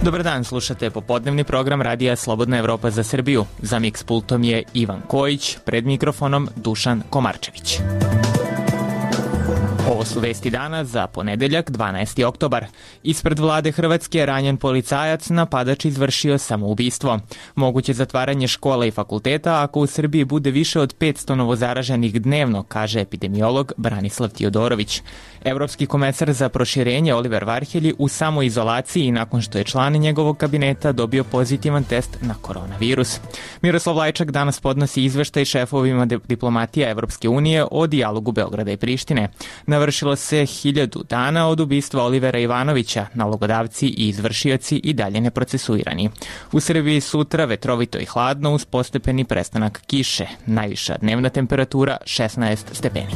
Dobar dan, slušate popodnevni program Radija Slobodna Evropa za Srbiju. Za miks pultom je Ivan Kojić, pred mikrofonom Dušan Komarčević. Ovo su vesti dana za ponedeljak, 12. oktobar. Ispred vlade Hrvatske je ranjen policajac, napadač izvršio samoubistvo. Moguće zatvaranje škola i fakulteta ako u Srbiji bude više od 500 novozaraženih dnevno, kaže epidemiolog Branislav Tiodorović. Evropski komesar za proširenje Oliver Varhelji u samoizolaciji nakon što je član njegovog kabineta dobio pozitivan test na koronavirus. Miroslav Lajčak danas podnosi izveštaj šefovima diplomatija Evropske unije o dijalogu Beograda i Prištine. Navršilo se 1000 dana od ubistva Olivera Ivanovića, nalogodavci i izvršioci i dalje neprocesuirani. U Srbiji sutra vetrovito i hladno uz postepeni prestanak kiše. Najviša dnevna temperatura 16 stepeni.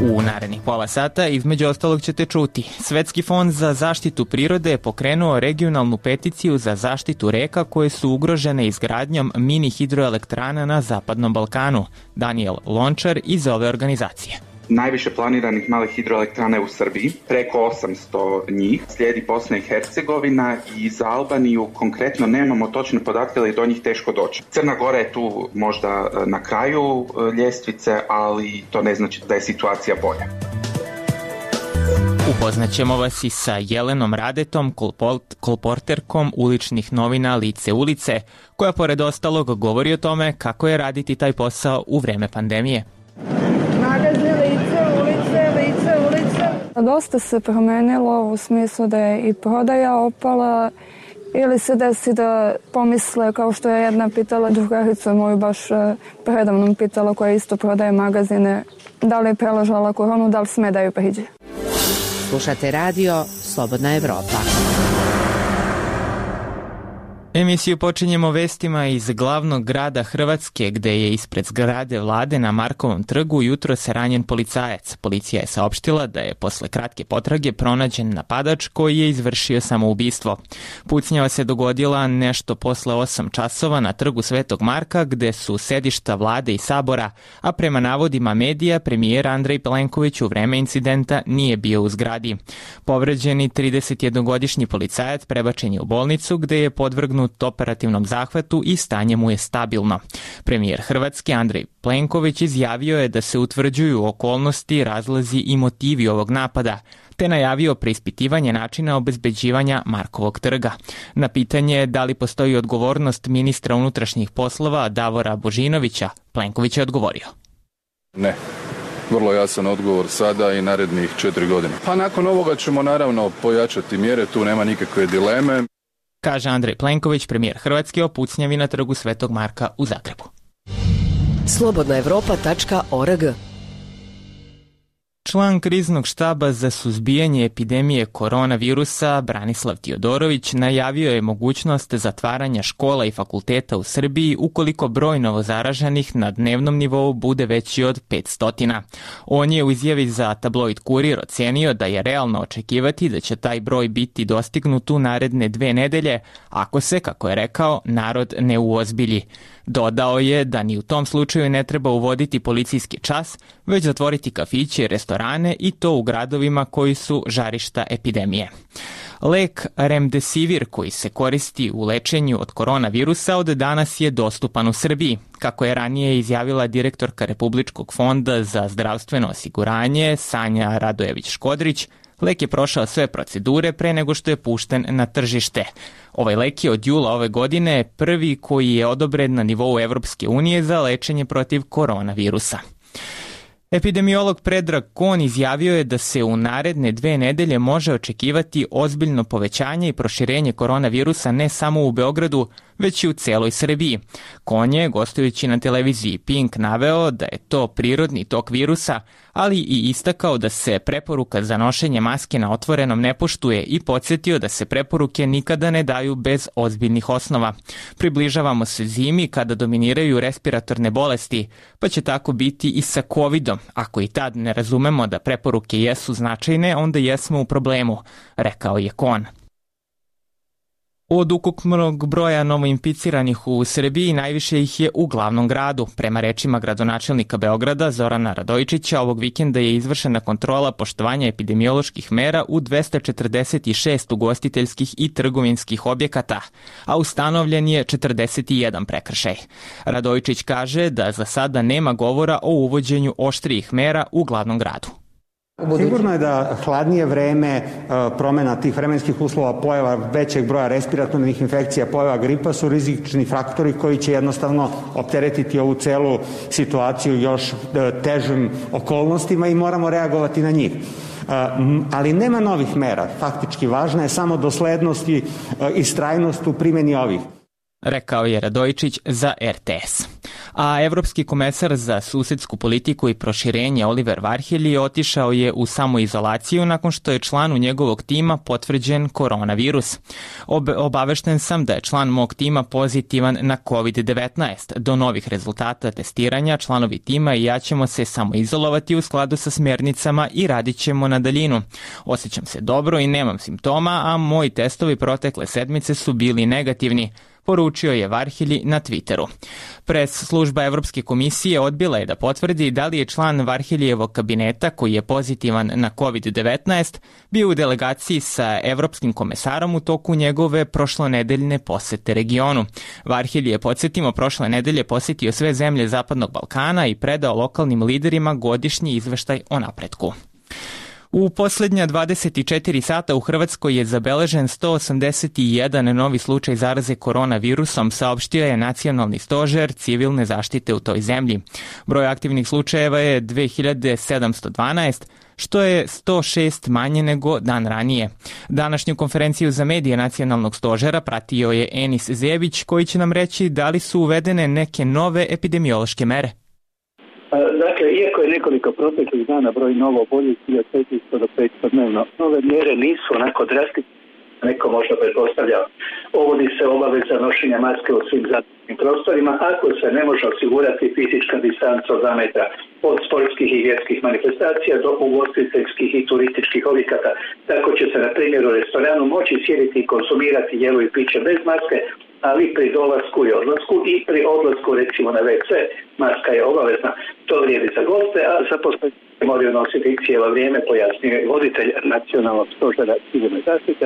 U narednih pola sata između ostalog ćete čuti. Svetski fond za zaštitu prirode je pokrenuo regionalnu peticiju za zaštitu reka koje su ugrožene izgradnjom mini hidroelektrana na Zapadnom Balkanu. Daniel Lončar iz ove organizacije. Najviše planiranih malih hidroelektrana je u Srbiji, preko 800 njih. Slijedi Bosna i Hercegovina i za Albaniju konkretno nemamo točne podatke, ali do njih teško doći. Crna Gora je tu možda na kraju ljestvice, ali to ne znači da je situacija bolja. Upoznaćemo vas i sa Jelenom Radetom, kolporterkom uličnih novina Lice ulice, koja pored ostalog govori o tome kako je raditi taj posao u vreme pandemije. Dosta se promenilo u smislu da je i prodaja opala ili se desi da pomisle, kao što je jedna pitala drugarica moju baš predavnom pitala koja isto prodaje magazine, da li je preležala koronu, da li sme da ju priđe. Slušate radio Slobodna Evropa. Emisiju počinjemo vestima iz glavnog grada Hrvatske, gde je ispred zgrade vlade na Markovom trgu jutros ranjen policajac. Policija je saopštila da je posle kratke potrage pronađen napadač koji je izvršio samoubistvo. Pucnjava se dogodila nešto posle 8 časova na trgu Svetog Marka, gde su sedišta vlade i sabora, a prema navodima medija, premijer Andrej Plenković u vreme incidenta nije bio u zgradi. Povređeni 31-godišnji policajac prebačen je u bolnicu, gde je podvrgnut operativnom zahvatu i stanje mu je stabilno. Premijer Hrvatske Andrej Plenković izjavio je da se utvrđuju okolnosti, razlozi i motivi ovog napada, te najavio preispitivanje načina obezbeđivanja Markovog trga. Na pitanje da li postoji odgovornost ministra unutrašnjih poslova Davora Božinovića, Plenković je odgovorio. Ne. Vrlo jasan odgovor sada i narednih 4 godine. Pa nakon ovoga ćemo naravno pojačati mjere, tu nema nikakve dileme. Kaže Andrej Plenković, premijer Hrvatske, o pucnjavi na trgu Svetog Marka u Zagrebu. slobodnaevropa.org. Član kriznog štaba za suzbijanje epidemije koronavirusa Branislav Tiodorović najavio je mogućnost zatvaranja škola i fakulteta u Srbiji ukoliko broj novozaraženih na dnevnom nivou bude veći od 500. On je u izjavi za tabloid Kurir ocenio da je realno očekivati da će taj broj biti dostignut u naredne 2 nedelje ako se, kako je rekao, narod ne uozbilji. Dodao je da ni u tom slučaju ne treba uvoditi policijski čas, već zatvoriti kafiće i restorane i to u gradovima koji su žarišta epidemije. Lek Remdesivir koji se koristi u lečenju od koronavirusa od danas je dostupan u Srbiji. Kako je ranije izjavila direktorka Republičkog fonda za zdravstveno osiguranje Sanja Radojević-Škodrić, lek je prošao sve procedure pre nego što je pušten na tržište. Ovaj lek je od jula ove godine prvi koji je odobren na nivou Evropske unije za lečenje protiv koronavirusa. Epidemiolog Predrag Kon izjavio je da se u naredne 2 nedelje može očekivati ozbiljno povećanje i proširenje koronavirusa ne samo u Beogradu, već i u celoj Srbiji. Kon je, gostujući na televiziji Pink, naveo da je to prirodni tok virusa, ali i istakao da se preporuka za nošenje maske na otvorenom ne poštuje i podsjetio da se preporuke nikada ne daju bez ozbiljnih osnova. Približavamo se zimi kada dominiraju respiratorne bolesti, pa će tako biti i sa covidom. Ako i tad ne razumemo da preporuke jesu značajne, onda jesmo u problemu, rekao je Kon. Od ukupnog broja novoinficiranih u Srbiji najviše ih je u glavnom gradu. Prema rečima gradonačelnika Beograda Zorana Radojičića, ovog vikenda je izvršena kontrola poštovanja epidemioloških mera u 246 ugostiteljskih i trgovinskih objekata, a ustanovljen je 41 prekršaj. Radojičić kaže da za sada nema govora o uvođenju oštrijih mera u glavnom gradu. Sigurno je da hladnije vreme, promena tih vremenskih uslova, pojava većeg broja respiratornih infekcija, pojava gripa su rizični faktori koji će jednostavno opteretiti ovu celu situaciju još težim okolnostima i moramo reagovati na njih. Ali nema novih mera. Faktički važna je samo doslednost i istrajnost u primjeni ovih. Rekao je Radojičić za RTS. A evropski komesar za susedsku politiku i proširenje Oliver Varhelyi otišao je u samoizolaciju nakon što je članu njegovog tima potvrđen koronavirus. Obavešten sam da je član mog tima pozitivan na COVID-19. Do novih rezultata testiranja članovi tima i ja ćemo se samoizolovati u skladu sa smjernicama i radit ćemo na daljinu. Osjećam se dobro i nemam simptoma, a moji testovi protekle sedmice su bili negativni, poručio je Varhelyi na Twitteru. Pres služba Evropske komisije odbila je da potvrdi da li je član Varhelyjevog kabineta, koji je pozitivan na COVID-19, bio u delegaciji sa evropskim komesarom u toku njegove prošlonedeljne posete regionu. Varhelyi je, podsjetimo, prošle nedelje posetio sve zemlje Zapadnog Balkana i predao lokalnim liderima godišnji izveštaj o napretku. U posljednja 24 sata u Hrvatskoj je zabeležen 181 novi slučaj zaraze koronavirusom, saopštio je Nacionalni stožer civilne zaštite u toj zemlji. Broj aktivnih slučajeva je 2712, što je 106 manje nego dan ranije. Današnju konferenciju za medije Nacionalnog stožera pratio je Enis Zebić, koji će nam reći da li su uvedene neke nove epidemiološke mere. Dakle, iako je nekoliko proteklih dana broj novo oboljelih od 400 do 500 dnevno, nove mjere nisu onako drastične, neko možda pretpostavlja. Uvodi se obaveza nošenja maske u svim zatvorenim prostorima ako se ne može osigurati fizička distanca od 2 metra od sportskih i vjerskih manifestacija do ugostiteljskih i turističkih objekata. Tako će se, na primjer, u restoranu moći sjediti i konzumirati jelo i piće bez maske, ali pri dolasku i odlasku i pri odlasku recimo na WC maska je obavezna. To vrijedi za goste, a za posjetitelje moraju nositi cijelo vrijeme, pojasnio je voditelj Nacionalnog stožera civilne zaštite,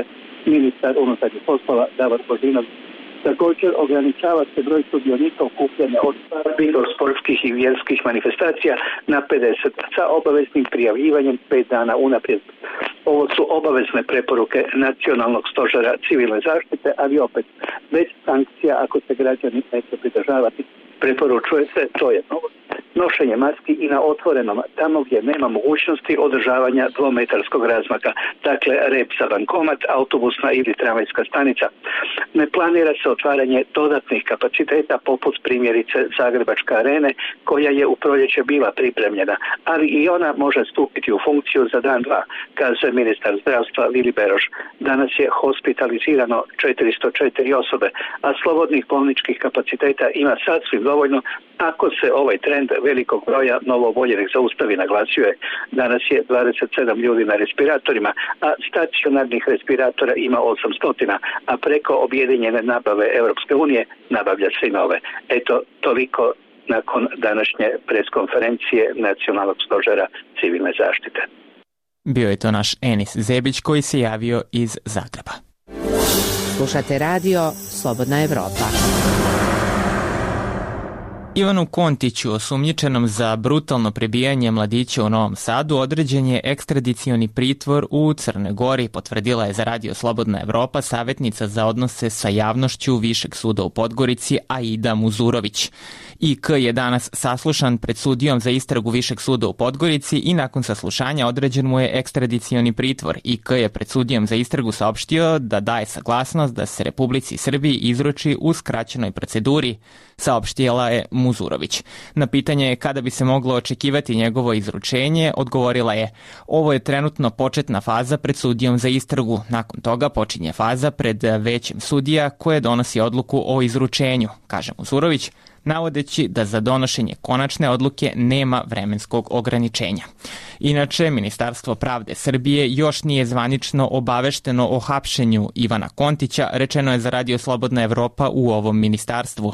ministar unutarnjih poslova Davor Božinović. Također ograničava se broj sudionika okupljanja od svadbi do sportskih i vjerskih manifestacija na 50 sa obaveznim prijavljivanjem 5 dana unaprijed. Ovo su obavezne preporuke Nacionalnog stožera civilne zaštite, ali opet bez sankcija ako se građani neće pridržavati. Preporučuje se, to je nošenje maski i na otvorenom, tamo gdje nema mogućnosti održavanja 2-metarskog razmaka, dakle rep za bankomat, autobusna ili tramvajska stanica. Ne planira se otvaranje dodatnih kapaciteta poput primjerice Zagrebačke arene, koja je u proljeće bila pripremljena, ali i ona može stupiti u funkciju za dan 2, kazuje ministar zdravstva Vili Beroš. Danas je hospitalizirano 404 osobe, a slobodnih bolničkih kapaciteta ima sasvim dovoljno ako se ovaj trend velikog broja novooboljelih zaustavi, naglasio je. Danas je 27 ljudi na respiratorima, a stacionarnih respiratora ima 800, a preko objedinjene nabave Europske unije nabavlja se i nove. Eto, toliko nakon današnje preskonferencije Nacionalnog stožera civilne zaštite. Bio je to naš Enis Zebić koji se javio iz Zagreba. Slušate radio Slobodna Evropa. Ivanu Kontiću, osumnjičenom za brutalno prebijanje mladića u Novom Sadu, određen je ekstradicioni pritvor u Crnoj Gori, potvrdila je za radio Slobodna Evropa savjetnica za odnose sa javnošću Višeg suda u Podgorici Aida Muzurović. IK je danas saslušan pred sudijom za istragu Višeg suda u Podgorici i nakon saslušanja određen mu je ekstradicioni pritvor. IK je pred sudijom za istragu saopštio da daje saglasnost da se Republici Srbiji izruči u skraćenoj proceduri, saopštila je Muzurović. Na pitanje kada bi se moglo očekivati njegovo izručenje, odgovorila je: ovo je trenutno početna faza pred sudijom za istragu. Nakon toga počinje faza pred većem sudija koje donosi odluku o izručenju, kaže Muzurović, navodeći da za donošenje konačne odluke nema vremenskog ograničenja. Inače, Ministarstvo pravde Srbije još nije zvanično obavešteno o hapšenju Ivana Kontića, rečeno je za Radio Slobodna Evropa u ovom ministarstvu.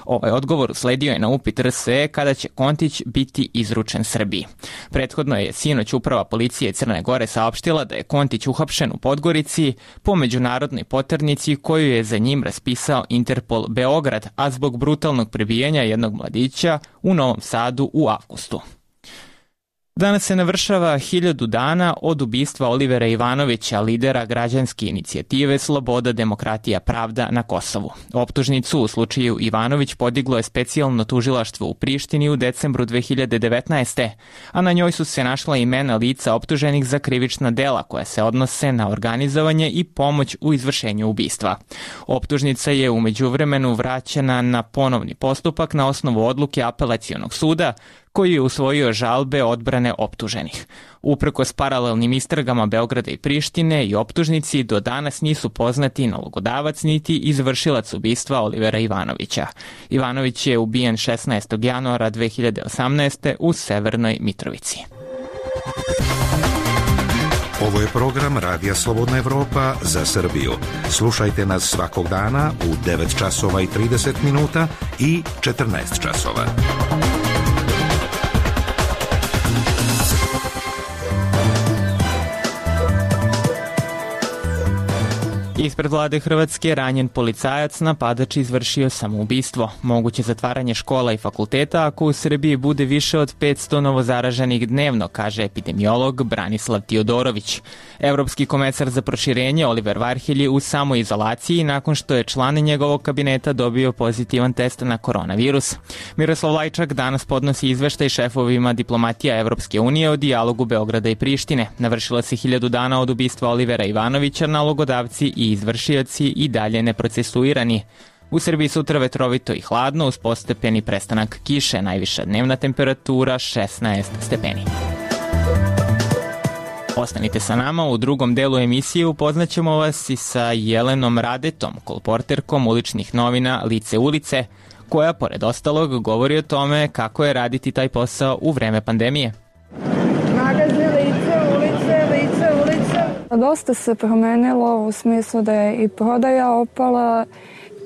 Ovaj odgovor usledio je na upit RSE kada će Kontić biti izručen Srbiji. Prethodno je sinoć Uprava policije Crne Gore saopštila da je Kontić uhapšen u Podgorici po međunarodnoj poternici koju je za njim raspisao Interpol Beograd, a zbog brutalnog prebijanja jednog mladića u Novom Sadu u avgustu. Danas se navršava 1000 dana od ubistva Olivera Ivanovića, lidera građanske inicijative Sloboda, demokratija, pravda na Kosovu. Optužnicu u slučaju Ivanović podiglo je specijalno tužilaštvo u Prištini u decembru 2019. a na njoj su se našla imena lica optuženih za krivična dela koja se odnose na organizovanje i pomoć u izvršenju ubistva. Optužnica je u međuvremenu vraćena na ponovni postupak na osnovu odluke Apelacionog suda, koji je usvojio žalbe odbrane optuženih. Uprkos paralelnim istragama Beograda i Prištine i optužnici, do danas nisu poznati nalogodavac niti izvršilac ubistva Olivera Ivanovića. Ivanović je ubijen 16. januara 2018. u Severnoj Mitrovici. Ovo je program Radija Slobodna Evropa za Srbiju. Slušajte nas svakog dana u 9 časova i 30 minuta i 14 časova. Ispred vlade Hrvatske ranjen policajac, napadač izvršio samoubistvo. Moguće zatvaranje škola i fakulteta ako u Srbiji bude više od 500 novozaraženih dnevno, kaže epidemiolog Branislav Tiodorović. Evropski komesar za proširenje Oliver Varhelj je u samoizolaciji nakon što je član njegovog kabineta dobio pozitivan test na koronavirus. Miroslav Lajčak danas podnosi izveštaj šefovima diplomatija Evropske unije o dijalogu Beograda i Prištine. Navršilo se 1000 dana od ubistva Olivera Ivanovića, nalogodavci i izvršioci i dalje neprocesuirani. U Srbiji sutra vetrovito i hladno uz postepeni prestanak kiše, najviša dnevna temperatura 16 stepeni. Ostanite sa nama, u drugom delu emisije upoznaćemo vas i sa Jelenom Radetom, kolporterkom uličnih novina Lice ulice, koja pored ostalog govori o tome kako je raditi taj posao u vreme pandemije. Magazin Lice ulice. Dosta se promenilo u smislu da je i prodaja opala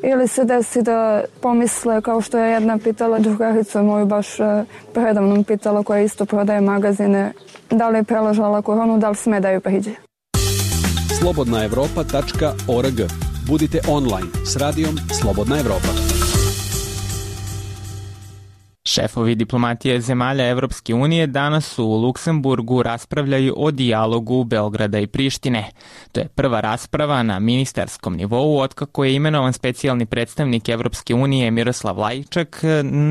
ili se desi da pomisle, kao što je jedna pitala drugaricu moju baš predavnom pitala koja isto prodaje magazine, da li je preležala koronu, da li sme da ju priđe. slobodnaevropa.org. Budite online s radijom Slobodna Evropa. Šefovi diplomatije zemalja Evropske unije danas u Luksemburgu raspravljaju o dijalogu Beograda i Prištine. To je prva rasprava na ministarskom nivou otkako je imenovan specijalni predstavnik Evropske unije Miroslav Lajčak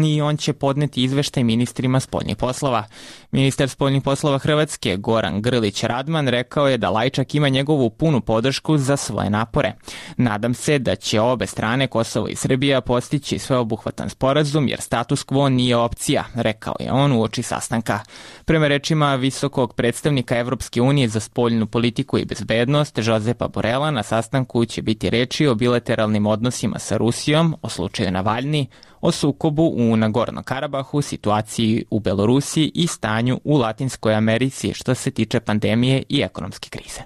i on će podneti izveštaj ministrima spoljnih poslova. Ministar spoljnih poslova Hrvatske Goran Grlić Radman rekao je da Lajčak ima njegovu punu podršku za svoje napore. Nadam se da će obe strane, Kosovo i Srbija, postići sveobuhvatan sporazum jer status quo nije opcija, rekao je on uoči sastanka. Prema rečima visokog predstavnika Evropske unije za spoljnu politiku i bezbednost Josepa Borela, na sastanku će biti reči o bilateralnim odnosima sa Rusijom, o slučaju Navalni, o sukobu u Nagorno Karabahu, situaciji u Belorusiji i stanju u Latinskoj Americi što se tiče pandemije i ekonomske krize.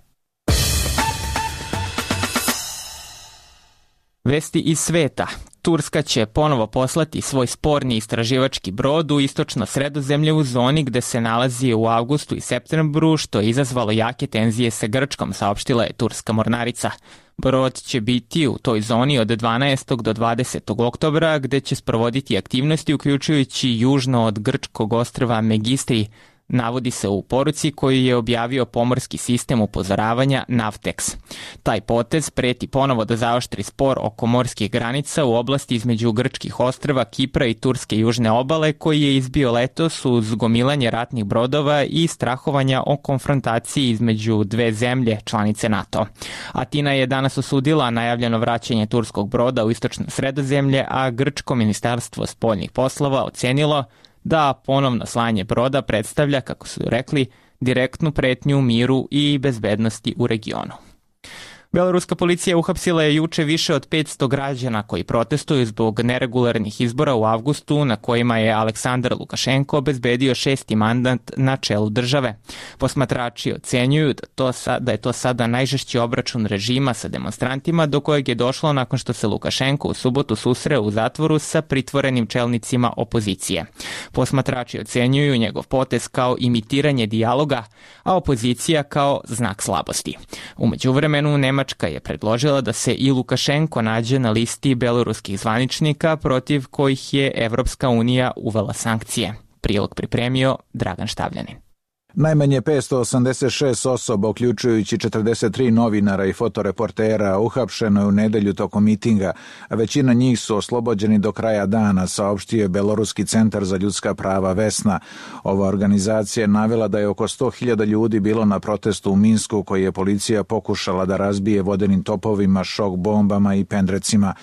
Vesti iz sveta. Turska će ponovo poslati svoj sporni istraživački brod u istočno Sredozemlje u zoni gde se nalazi u avgustu i septembru, što je izazvalo jake tenzije sa Grčkom, saopštila je turska mornarica. Brod će biti u toj zoni od 12. do 20. oktobra, gde će sprovoditi aktivnosti uključujući južno od grčkog ostrva Megistri, navodi se u poruci koju je objavio pomorski sistem upozoravanja Navtex. Taj potez preti ponovo da zaoštri spor oko morskih granica u oblasti između grčkih ostrva, Kipra i turske južne obale, koji je izbio letos uz gomilanje ratnih brodova i strahovanja o konfrontaciji između dve zemlje članice NATO. Atina je danas osudila najavljeno vraćanje turskog broda u istočno Sredozemlje, a grčko ministarstvo spoljnih poslova ocenilo da ponovno slanje broda predstavlja, kako su rekli, direktnu pretnju miru i bezbednosti u regionu. Beloruska policija uhapsila je juče više od 500 građana koji protestuju zbog neregularnih izbora u avgustu na kojima je Aleksandar Lukašenko obezbedio 6. mandat na čelu države. Posmatrači ocenjuju da je to sada najžešći obračun režima sa demonstrantima do kojeg je došlo nakon što se Lukašenko u subotu susreo u zatvoru sa pritvorenim čelnicima opozicije. Posmatrači ocenjuju njegov potez kao imitiranje dijaloga, a opozicija kao znak slabosti. U međuvremenu Nemačka je predložila da se i Lukašenko nađe na listi beloruskih zvaničnika protiv kojih je Evropska unija uvela sankcije. Prilog pripremio Dragan Štavljanin. Najmanje 586 osoba, uključujući 43 novinara i fotoreportera, uhapšeno je u nedelju tokom mitinga, a većina njih su oslobođeni do kraja dana, saopštio je Beloruski centar za ljudska prava Vesna. Ova organizacija je navela da je oko 100.000 ljudi bilo na protestu u Minsku, koji je policija pokušala da razbije vodenim topovima, šok bombama i pendrecima.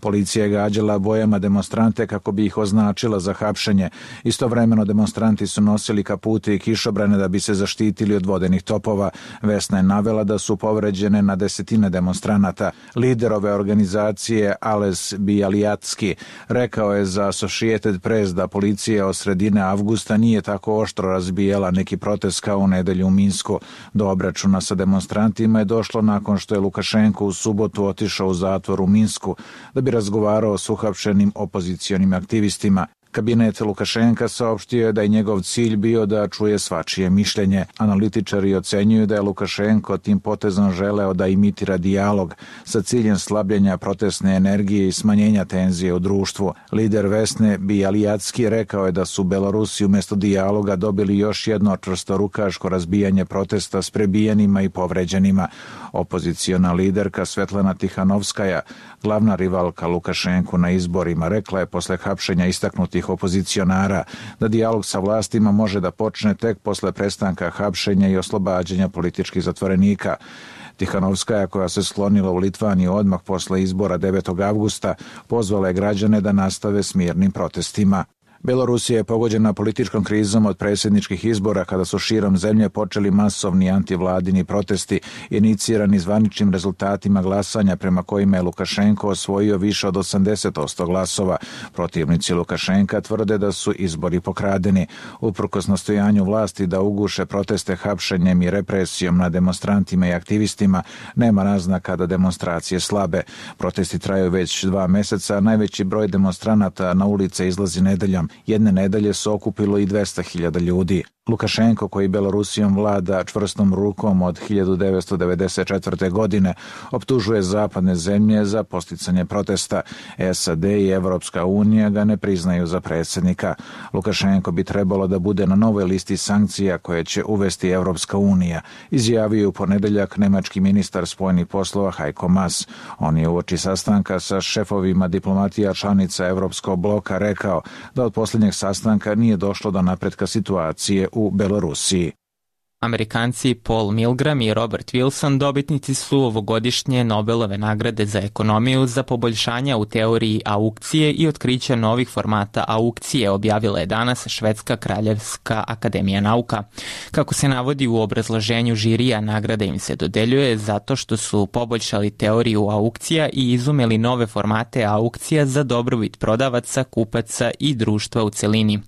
Policija je gađala bojama demonstrante kako bi ih označila za hapšenje. Istovremeno demonstranti su nosili kapute i kišobrane da bi se zaštitili od vodenih topova. Vesna je navela da su povređene na desetine demonstranata. Lider ove organizacije, Ales Bialijatski, rekao je za Associated Press da policija od sredine avgusta nije tako oštro razbijala neki protest kao u nedelju u Minsku. Do obračuna sa demonstrantima je došlo nakon što je Lukašenko u subotu otišao u zatvor u Minsku da bi razgovarao s uhapšenim opozicionim aktivistima. Kabinet Lukašenka saopštio je da je njegov cilj bio da čuje svačije mišljenje. Analitičari ocenjuju da je Lukašenko tim potezom želeo da imitira dijalog sa ciljem slabljenja protestne energije i smanjenja tenzije u društvu. Lider Vesne Bialijatski rekao je da su Belorusi umjesto dijaloga dobili još jedno čvrstorukaško razbijanje protesta s prebijenima i povređenima. Opoziciona liderka Svetlana Tihanovskaja, glavna rivalka Lukašenku na izborima, rekla je posle hapšenja istaknutih opozicionara da dijalog sa vlastima može da počne tek posle prestanka hapšenja i oslobađanja političkih zatvorenika. Tihanovskaja, koja se sklonila u Litvaniju odmah posle izbora 9. avgusta, pozvala je građane da nastave s mirnim protestima. Belorusija je pogođena političkom krizom od predsjedničkih izbora kada su širom zemlje počeli masovni antivladini protesti inicirani zvaničnim rezultatima glasanja prema kojima je Lukašenko osvojio više od 80% glasova. Protivnici Lukašenka tvrde da su izbori pokradeni. Uprkos nastojanju vlasti da uguše proteste hapšenjem i represijom na demonstrantima i aktivistima, nema naznaka da demonstracije slabe. Protesti traju već 2 meseca, a najveći broj demonstranata na ulice izlazi nedeljom. Jedne nedelje se okupilo i 200.000 ljudi. Lukašenko, koji Belorusijom vlada čvrstom rukom od 1994. godine, optužuje zapadne zemlje za posticanje protesta. SAD i Evropska unija ga ne priznaju za predsjednika. Lukašenko bi trebalo da bude na novoj listi sankcija koje će uvesti Evropska unija, izjavio u ponedeljak nemački ministar spoljnih poslova Heiko Maas. On je uoči sastanka sa šefovima diplomatija članica Evropskog bloka rekao da od posljednjeg sastanka nije došlo do napretka situacije u Belorusiji. Amerikanci Paul Milgram i Robert Wilson dobitnici su ovogodišnje Nobelove nagrade za ekonomiju za poboljšanja u teoriji aukcije i otkrića novih formata aukcije, objavila je danas Švedska kraljevska akademija nauka. Kako se navodi u obrazloženju žirija, nagrada im se dodeljuje zato što su poboljšali teoriju aukcija i izumeli nove formate aukcija za dobrobit prodavaca, kupaca i društva u celini.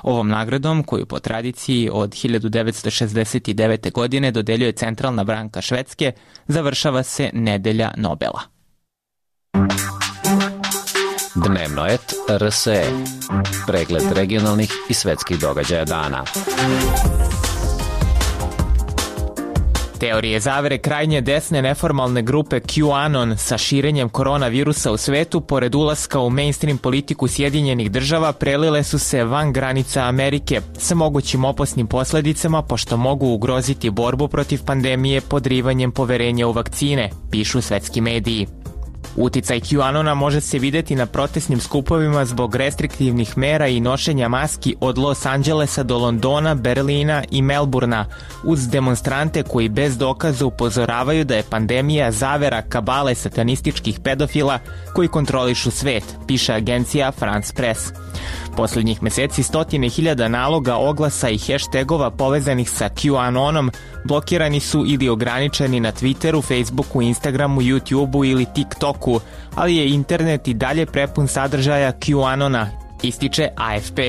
Ovom nagradom, koju po tradiciji od 1969. godine dodeljuje Centralna banka Švedske, završava se nedelja Nobela. Dnevno et RSE. Pregled regionalnih i svetskih događaja dana. Teorije zavere krajnje desne neformalne grupe QAnon sa širenjem koronavirusa u svetu, pored ulaska u mainstream politiku Sjedinjenih država, prelile su se van granica Amerike sa mogućim opasnim posledicama, pošto mogu ugroziti borbu protiv pandemije podrivanjem poverenja u vakcine, pišu svetski mediji. Uticaj QAnona može se videti na protestnim skupovima zbog restriktivnih mera i nošenja maski od Los Angelesa do Londona, Berlina i Melburna, uz demonstrante koji bez dokaza upozoravaju da je pandemija zavera kabale satanističkih pedofila koji kontrolišu svet, piše agencija France Press. Poslednjih meseci 100.000 naloga, oglasa i hashtagova povezanih sa QAnonom Blokirani su ili ograničeni na Twitteru, Facebooku, Instagramu, YouTubeu ili TikToku, ali je internet i dalje prepun sadržaja QAnona, ističe AFP.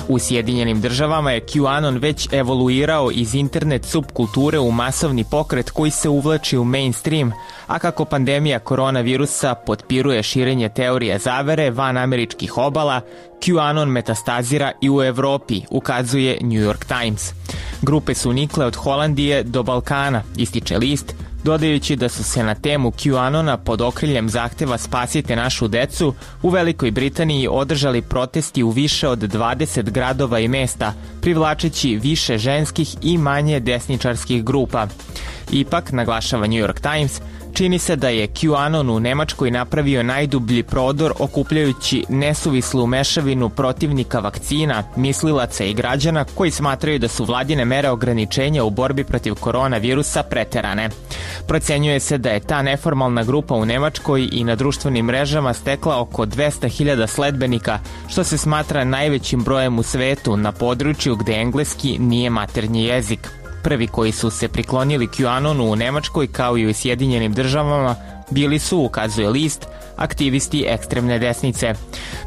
U Sjedinjenim državama je QAnon već evoluirao iz internet subkulture u masovni pokret koji se uvlači u mainstream, a kako pandemija koronavirusa potpiruje širenje teorije zavere van američkih obala, QAnon metastazira i u Evropi, ukazuje New York Times. Grupe su nikle od Holandije do Balkana, ističe list, dodajući da su se na temu QAnona pod okriljem zahteva Spasite našu decu u Velikoj Britaniji održali protesti u više od 20 gradova i mesta, privlačeći više ženskih i manje desničarskih grupa. Ipak, naglašava New York Times, čini se da je QAnon u Nemačkoj napravio najdublji prodor okupljajući nesuvislu mešavinu protivnika vakcina, mislilaca i građana koji smatraju da su vladine mere ograničenja u borbi protiv koronavirusa preterane. Procenjuje se da je ta neformalna grupa u Nemačkoj i na društvenim mrežama stekla oko 200.000 sledbenika, što se smatra najvećim brojem u svetu na području gde engleski nije maternji jezik. Prvi koji su se priklonili QAnonu u Nemačkoj kao i u Sjedinjenim državama bili su, ukazuje list, aktivisti ekstremne desnice.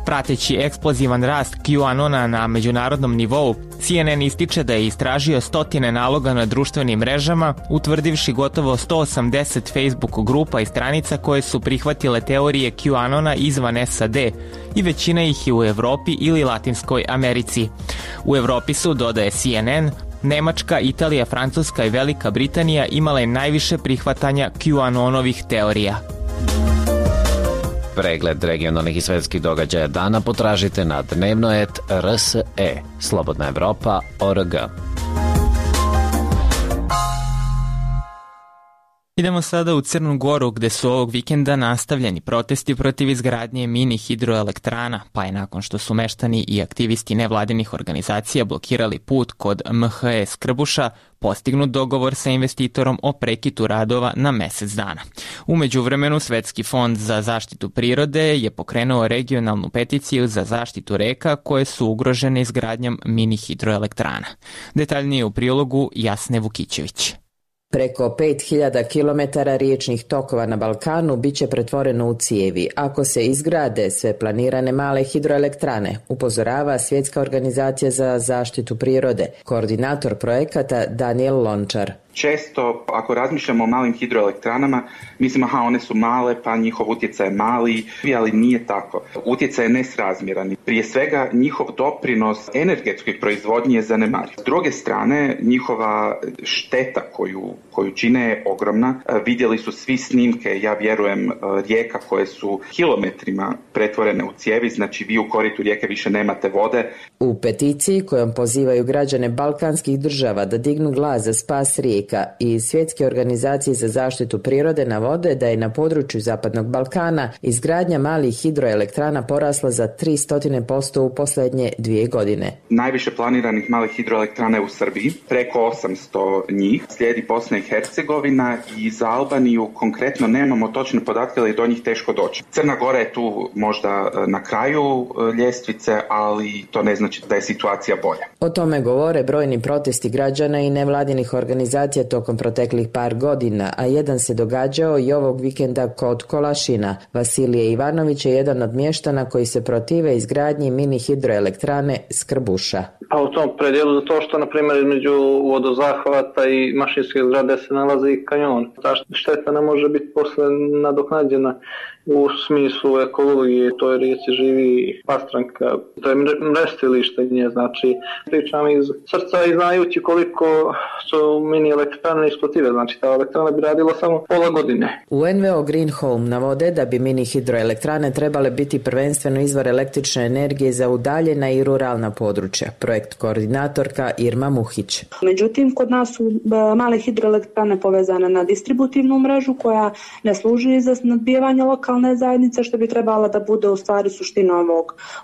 Prateći eksplozivan rast QAnona na međunarodnom nivou, CNN ističe da je istražio stotine naloga na društvenim mrežama, utvrdivši gotovo 180 Facebook grupa i stranica koje su prihvatile teorije QAnona izvan SAD i većina ih je u Evropi ili Latinskoj Americi. U Evropi su, dodaje CNN, Nemačka, Italija, Francuska i Velika Britanija imale najviše prihvatanja QAnonovih teorija. Pregled regionalnih i svetskih događaja dana potražite na dnevnoet.rse, slobodnaevropa.org. Idemo sada u Crnu Goru gde su ovog vikenda nastavljeni protesti protiv izgradnje mini hidroelektrana, pa je nakon što su meštani i aktivisti nevladinih organizacija blokirali put kod MHE Skrbuša, postignut dogovor sa investitorom o prekidu radova na mesec dana. U međuvremenu Svetski fond za zaštitu prirode je pokrenuo regionalnu peticiju za zaštitu reka koje su ugrožene izgradnjom mini hidroelektrana. Detaljnije u prilogu Jasne Vukićević. Preko 5000 km riječnih tokova na Balkanu biće pretvoreno u cijevi ako se izgrade sve planirane male hidroelektrane, upozorava Svjetska organizacija za zaštitu prirode, koordinator projekata Daniel Lončar. Često, ako razmišljamo o malim hidroelektranama, mislimo one su male, pa njihov utjecaj je mali, ali nije tako. Utjecaj je nesrazmjeran. Prije svega, njihov doprinos energetskoj proizvodnji je zanemariv. S druge strane, njihova šteta koju čine je ogromna. Vidjeli su svi snimke, ja vjerujem, rijeka koje su kilometrima pretvorene u cijevi, znači vi u koritu rijeke više nemate vode. U peticiji kojom pozivaju građane balkanskih država da dignu glas za spas rijeka i Svjetske organizacije za zaštitu prirode navode da je na području Zapadnog Balkana izgradnja malih hidroelektrana porasla za 300% u posljednje 2 godine. Najviše planiranih malih hidroelektrana je u Srbiji, preko 800 njih. Slijedi Bosna i Hercegovina i za Albaniju konkretno nemamo točne podatke, ali je do njih teško doći. Crna Gora je tu možda na kraju ljestvice, ali to ne znači da je situacija bolja. O tome govore brojni protesti građana i nevladinih organizacija tokom proteklih par godina, a jedan se događao i ovog vikenda kod Kolašina. Vasilije Ivanović je jedan od mještana koji se protive izgradnji mini hidroelektrane Skrbuša. A u tom predjelu to što, na primjer, između vodozahvata i mašinske zgrade se nalazi kanjon. Ta šteta ne može biti posle nadoknađena u smislu ekologije, to je rijeci živi pastranka, to je mrestilište nje, znači pričam iz srca i znajući koliko su mini elektrane isplative, znači ta elektrana bi radila samo pola godine. U NVO Green Home navode da bi mini hidroelektrane trebale biti prvenstveno izvor električne energije za udaljena i ruralna područja, projekt koordinatorka Irma Muhić. Međutim, kod nas su male hidroelektrane povezane na distributivnu mrežu koja ne služi za snabdijevanje lokalne zajednice, što bi trebala da bude u stvari suština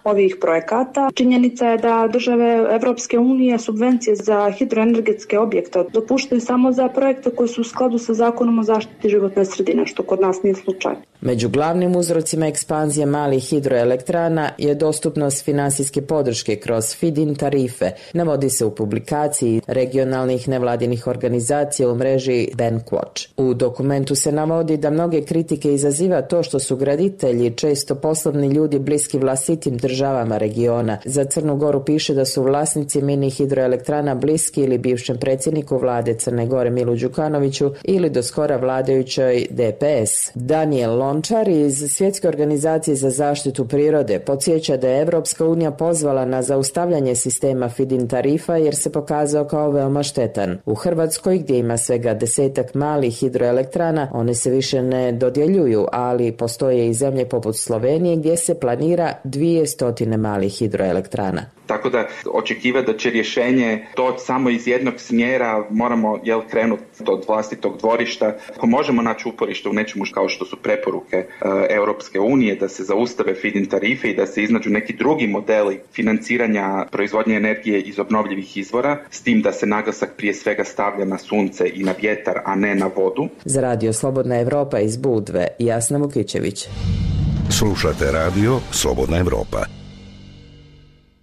ovih projekata. Činjenica je da države Evropske unije subvencije za hidroenergetske objekte dopuštaju samo za projekte koji su u skladu sa zakonom o zaštiti životne sredine, što kod nas nije slučaj. Među glavnim uzrocima ekspanzije malih hidroelektrana je dostupnost finansijske podrške kroz feed-in tarife, navodi se u publikaciji regionalnih nevladinih organizacija u mreži Bankwatch. U dokumentu se navodi da mnoge kritike izaziva to što su graditelji često poslovni ljudi bliski vlastitim državama regiona. Za Crnu Goru piše da su vlasnici mini hidroelektrana bliski ili bivšem predsjedniku vlade Crne Gore Milu Đukanoviću ili do skora vladajućoj DPS. Daniel Lončar iz Svjetske organizacije za zaštitu prirode podsjeća da je Evropska unija pozvala na zaustavljanje sistema feed-in tarifa jer se pokazao kao veoma štetan. U Hrvatskoj, gdje ima svega 10 malih hidroelektrana, one se više ne dodjeljuju, ali postoje i zemlje poput Slovenije gdje se planira 200 malih hidroelektrana. Tako da očekivati da će rješenje doći samo iz jednog smjera, moramo krenuti od vlastitog dvorišta. Ako možemo naći uporište u nečemu kao što su preporuke Europske unije, da se zaustave feed-in tarife i da se iznađu neki drugi modeli financiranja proizvodnje energije iz obnovljivih izvora, s tim da se naglasak prije svega stavlja na sunce i na vjetar, a ne na vodu. Za Radio Slobodna Evropa iz Budve, Jasna Vukićević. Slušate Radio Slobodna Evropa.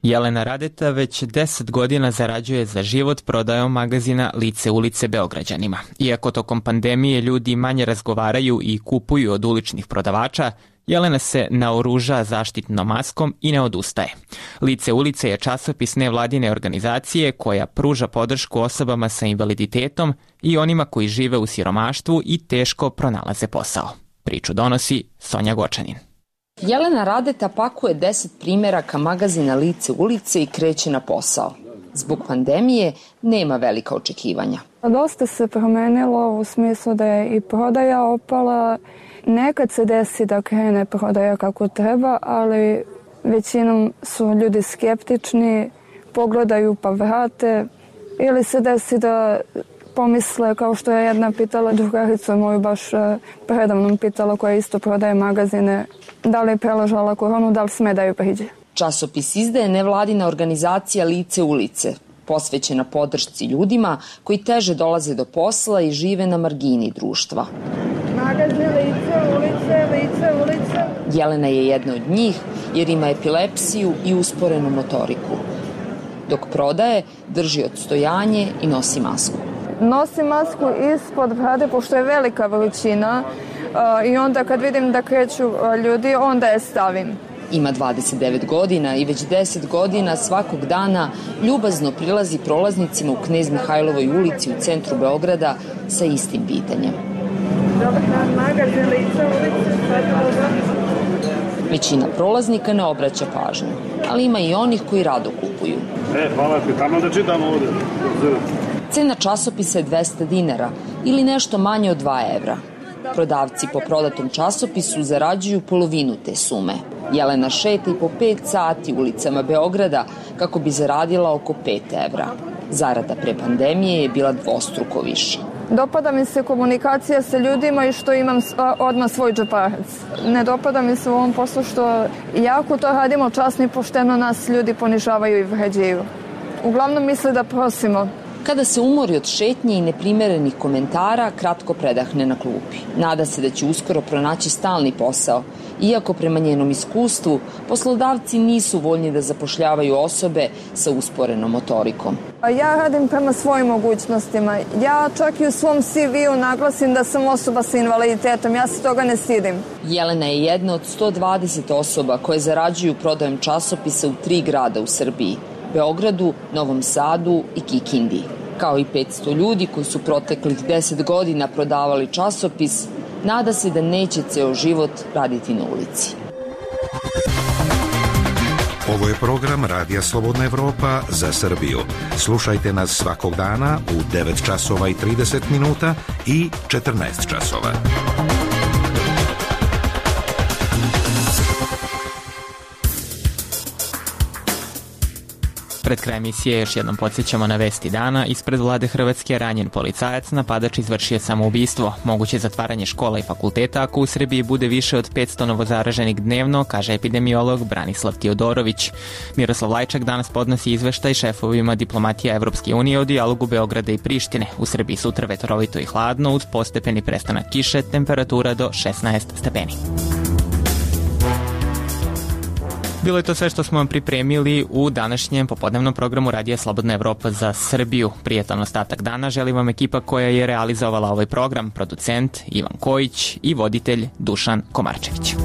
Jelena Radeta već 10 godina zarađuje za život prodajom magazina Lice ulice Beograđanima. Iako tokom pandemije ljudi manje razgovaraju i kupuju od uličnih prodavača, Jelena se naoruža zaštitnom maskom i ne odustaje. Lice ulice je časopis nevladine organizacije koja pruža podršku osobama sa invaliditetom i onima koji žive u siromaštvu i teško pronalaze posao. Priču donosi Sonja Gočanin. Jelena Radeta pakuje 10 primjeraka magazina Lice ulice i kreće na posao. Zbog pandemije nema velika očekivanja. Dosta se promenilo u smislu da je i prodaja opala. Nekad se desi da krene prodaja kako treba, ali većinom su ljudi skeptični, pogledaju pa vrate. Ili se desi da pomisle, kao što je jedna pitala drugaricu moju baš predavnom pitala koja isto prodaje magazine, da li je preležala koronu, da li sme da ju priđe. Časopis izdaje nevladina organizacija Lice ulice, posvećena podršci ljudima koji teže dolaze do posla i žive na margini društva. Magazin Lice ulice, Lice ulice. Jelena je jedna od njih jer ima epilepsiju i usporenu motoriku. Dok prodaje, drži odstojanje i nosi masku. Nosim masku ispod brade, pošto je velika veličina i onda kad vidim da kreću ljudi, onda je stavim. Ima 29 godina i već 10 godina svakog dana ljubazno prilazi prolaznicima u Knez Mihajlovoj ulici u centru Beograda sa istim pitanjem. Dobar dan, magazin Lice ulice. Većina prolaznika ne obraća pažnju, ali ima i onih koji rado kupuju. Hvala ti, tamo da čitam ovdje. Cena časopisa je 200 dinara ili nešto manje od 2 evra. Prodavci po prodatom časopisu zarađuju polovinu te sume. Jelena šeta i po 5 sati ulicama Beograda kako bi zaradila oko 5 evra. Zarada pre pandemije je bila dvostruko više. Dopada mi se komunikacija sa ljudima i što imam odmah svoj džeparac. Ne dopada mi se u ovom poslu što jako to radimo časno i pošteno, nas ljudi ponižavaju i vređaju. Uglavnom misle da prosimo. Kada se umori od šetnje i neprimerenih komentara, kratko predahne na klupi. Nada se da će uskoro pronaći stalni posao, iako prema njenom iskustvu poslodavci nisu voljni da zapošljavaju osobe sa usporenom motorikom. Ja radim prema svojim mogućnostima. Ja čak i u svom CV-u naglasim da sam osoba sa invaliditetom. Ja se toga ne stidim. Jelena je jedna od 120 osoba koje zarađuju prodajom časopisa u 3 grada u Srbiji. Beogradu, Novom Sadu i Kikindi. Kao i 500 ljudi koji su proteklih 10 godina prodavali časopis, nada se da neće ceo život raditi na ulici. Ovo je program Radija Slobodna Evropa za Srbiju. Slušajte nas svakog dana u 9 časova i 30 minuta i 14 časova. Pred kraj emisije još jednom podsjećamo na vesti dana. Ispred vlade Hrvatske ranjen policajac, napadač izvršio samoubistvo. Moguće zatvaranje škola i fakulteta ako u Srbiji bude više od 500 novozaraženih dnevno, kaže epidemiolog Branislav Tiodorović. Miroslav Lajčak danas podnosi izveštaj šefovima diplomatija Evropske unije o dijalogu Beograda i Prištine. U Srbiji sutra vetrovito i hladno uz postepeni prestanak kiše, temperatura do 16 stepeni. Bilo je to sve što smo vam pripremili u današnjem popodnevnom programu Radija Slobodna Evropa za Srbiju. Prijetan ostatak dana želi vam ekipa koja je realizovala ovaj program, producent Ivan Kojić i voditelj Dušan Komarčević.